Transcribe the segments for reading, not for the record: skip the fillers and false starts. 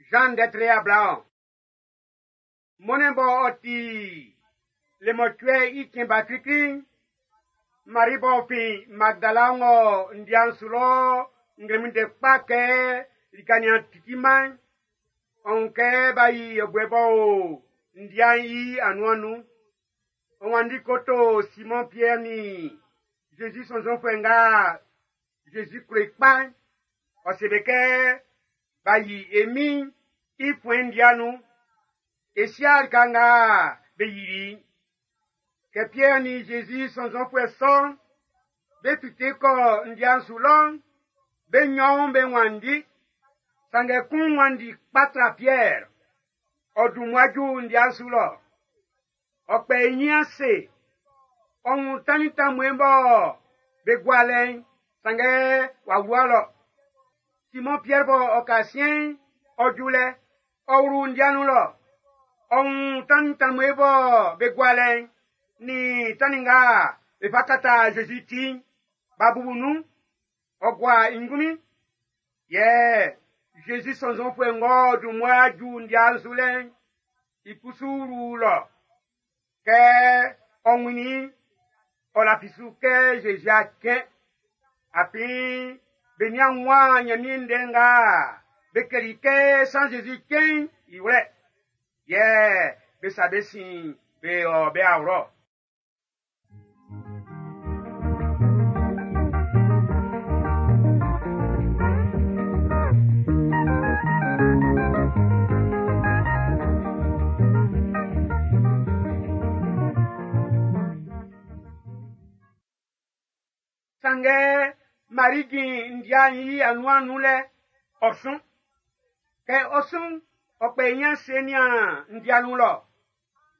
Zan ndɛ tre 20. Mɔnnɛn bɔ ɔ ti le mɔcuɛ i cɛn ba klikli'n, Mari b'ɔ fin Magdala ng'ɔ ndia'n su lɔ nglɛmun ndɛ kpa kɛ lika nian titiman'n, ɔ wun kɛ b'a yi yɛbuɛ b'ɔ o ndia'n i anuan nun. Ɔ wanndi ko to Simɔn Piɛr nin Jésus sɔnnzɔnfuɛ nga Jésus klo i kpa'n. Ɔ se be kɛ b'a yi e Min'n i fuɛn'n ndia nun. E si'a lika nga be yili. Kɛ Piɛr nin Jésus sɔnnzɔnfuɛ sɔ'n, be fite kɔ ndia'n su lɔ'n, be nnyɔn'n be wanndi. Sanngɛ kun wanndi kpa tra Piɛr. Ɔ dun mmua ju ndia'n su lɔ. Ɔ kpɛ i nyin ase. Ɔ wun tannin tanmue bɔ be gua lɛ'n, sanngɛ w'a wua lɔ. Simɔn Piɛr bɔ ɔ ka siɛn'n, ɔ ju lɛ, ɔ wlu ndia nun lɔ. Ɔ wun tannin tanmue bɔ be gua lɛ'n, nin tannin nga be fa kata Jésus ti'n, b'a bubu nun. Ɔ gua i ngunmin. Yɛ Jésus sɔnnzɔnfuɛ ng'ɔ dun mmua ju ndia'n su lɛ'n, i kusu wlu lɔ. Kɛ ɔ wunnin i'n, ɔ lafi su kɛ Jésus a cɛn. Afin be nian wun Ɲanmiɛn ndɛ nga be kɛli kɛ san Jésus cɛn'n i wlɛ. Yɛ be sa be sin be ɔ be awlo. Sanngɛ Mari jin ndia'n i anuan nun lɛ, ɔ sun. Kɛ ɔ sun, ɔ kpɛ i nyin ase nian ndia nun lɔ.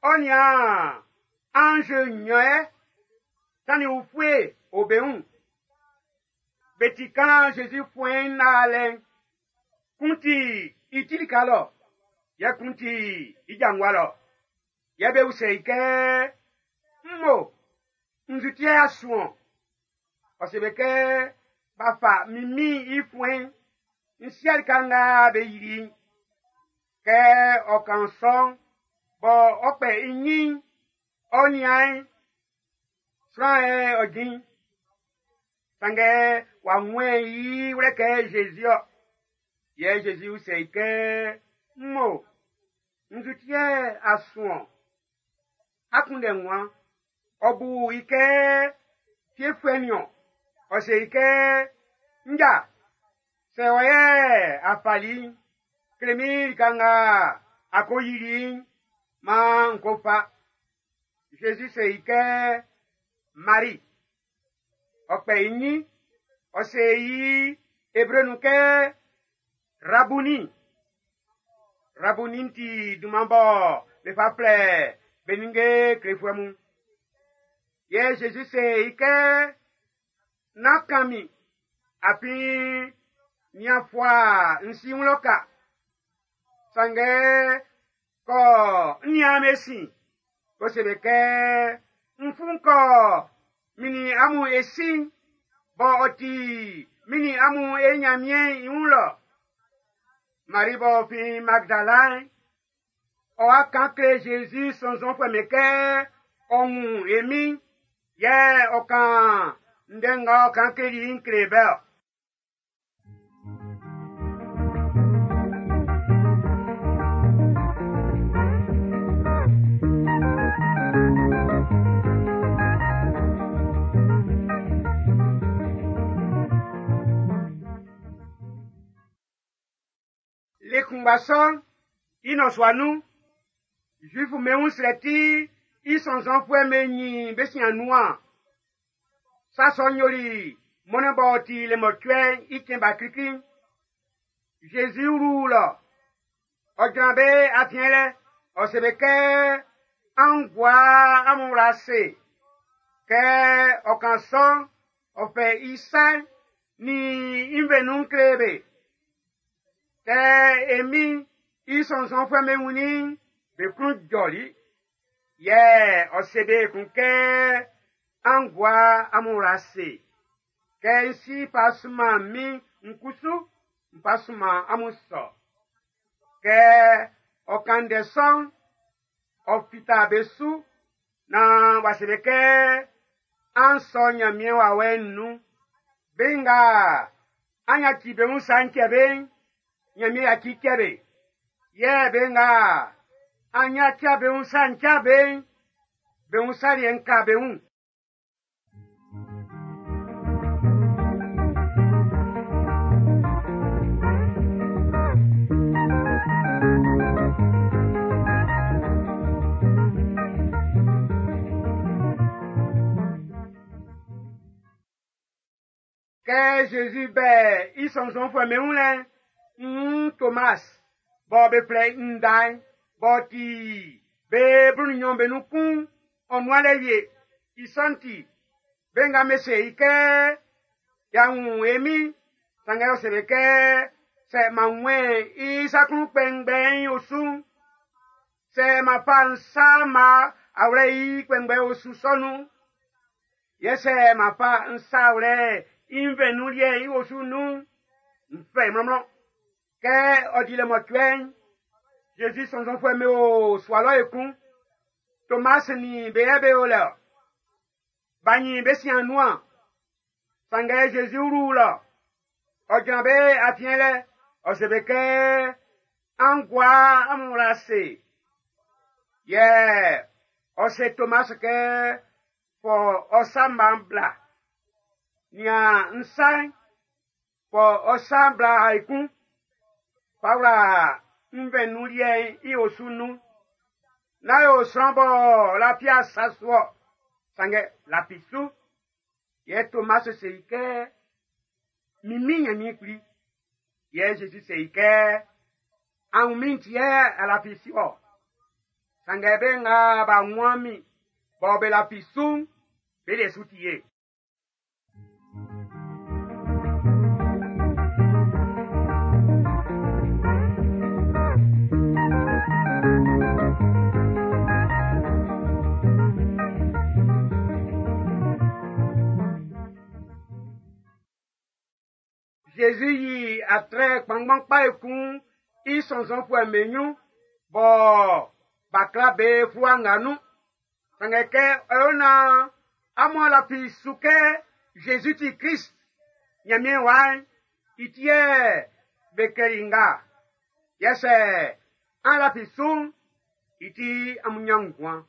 Ɔ nian ange nnyɔn yɛ, tannin ufue o be wun. Be ti kan Jésus fuɛn'n laalɛ'n. Kun ti i ti lika lɔ, yɛ kun ti i ja ngua lɔ. Yɛ be usɛ i kɛ, Mmo, nzu ti yɛ a sun-ɔn? Ɔ se be kɛ, b'a fa min Min'n i fuɛn'n, n si'a lika nga be yili'n. Kɛ ɔ kan sɔ'n, bɔ ɔ kpɛ i nyin, ɔ nian'n, sran yɛ ɔ jin. Sanngɛ w'a wun i wlɛ kɛ Jésus-ɔ. Yɛ Jésus usɛ i kɛ, Mmo, nzu ti yɛ a sun-ɔn? A kunndɛ nguan. Ɔ bu i kɛ fiefuɛ niɔn. Ɔ se i kɛ, Nja, sɛ wɔ yɛ a fali'n, kle min lika nga a ko yili'n, maan n ko fa. Jésus se i kɛ, Mari. Ɔ kpɛ i nyin, ɔ se i Ebre nun kɛ, Rabuni. Rabuni ti dunman bɔ be fa flɛ be ninnge klefuɛ mun. Yɛ Jésus se i kɛ, Nán kan min, afin nian fua n si wun lɔ ka. Sanngɛ kɔ n nian be sin, ko se be kɛ, n fun kɔ min nin amun e sin, bɔ ɔ ti min nin amun e Nyanmiɛn i wun lɔ. Mari b'ɔ fin Magdala'n, ɔ wa kan kle Jésus sɔnnzɔnfuɛ mun kɛ ɔ wun e Min'n, yɛ ɔ kan ndɛ nga ɔ kan kleli i'n kle be-ɔ. Le kunngba sɔ'n, i nɔsua nun, Zuifu be wun srɛ ti i sɔnnzɔnfuɛ'm be nyin be sin anuan. Sa sɔ'n yoli mɔnnɛn b'ɔ ti le mɔcuɛ'n i cɛn ba klikli'n. Jésus wlu lɔ, ɔ jran be afiɛn lɛ, ɔ se be kɛ, An gua amun wla ase. Kɛ ɔ kan sɔ'n, ɔ fɛ i sa'n nin i nvɛnwun'n nun kle be. Kɛ e Min'n i sɔnnzɔnfuɛ'm be wunnin i'n, be klun jɔli. Yɛ ɔ se be ekun kɛ, An gua amun wla ase. Kɛ n si fa sunman min n kusu, n fa sunman amun sɔ. Kɛ ɔ kan ndɛ sɔ'n, ɔ fita be su naan w'a se be kɛ, an sɔ Ɲanmiɛn wawɛ'n nun. Be nga an yaci be wun sa'n cɛ be'n, Ɲanmiɛn yaci cɛ be. Yɛ be nga an yaci be wun sa'n cɛ be'n, be wun sa liɛ'n ka be wun. Kɛ Zezi bɛ i sɔnnzɔnfuɛ'm be wun lɛ'n, nn Tomas bɔ be flɛ i Nda'n, b'ɔ ti be 12 be nun kun'n, ɔ nun'an lɛ wie. I sɔ'n ti, be nga be se i kɛ, y'a wun e Min'n, sanngɛ ɔ se be kɛ, sɛ m'an wunmɛn i sa klun kpɛngbɛ'n i osu'n, sɛ m'an fa n sa m'an wlɛ i kpɛngbɛ osu sɔ nun'n, yɛ sɛ m'an fa n sa wlɛ i nvɛn nun liɛ'n i osu nun'n, n fɛ i mlɔnmlɔn. Kɛ ɔ di le mɔcuɛ'n, Zezi sɔnnzɔnfuɛ'm be o sua lɔ ekun. Tomas nin be yɛ be o lɛ-ɔ. B'a nyin be sin anuan. Sanngɛ Zezi wlu lɔ. Ɔ jran be afiɛn lɛ. Ɔ se be kɛ, an gua amun wla ase. Yɛ ɔ se Tomas kɛ, fɔ ɔ sa mma'n bla. Nian n sa'n, fɔ ɔ sa'n bla ekun. Fa wla nvɛn nun liɛ'n i osu nun. Nán yo sran bɔ lafi asa su-ɔ, sanngɛ lafi su. Yɛ Tomas se i kɛ, min Min Nyanmiɛn Kpli. Yɛ Zezi se i kɛ, a wun min ti yɛ a lafi su-ɔ. Sanngɛ be nga b'a wun min bɔ be lafi su'n, be liɛ su ti ye. Zezi yi atrɛ kpanngban kpa ekun i sɔnnzɔnfuɛ'm be ɲrun bɔ b'a kla be fluwa nga nun. Sanngɛ kɛ ɔ yo naan amun lafi su kɛ Zezi ti Klist, Ɲanmiɛn wa'n, i ti yɛ be klɛli nga. Yɛ sɛ an lafi su'n, i ti amun ɲan nguan.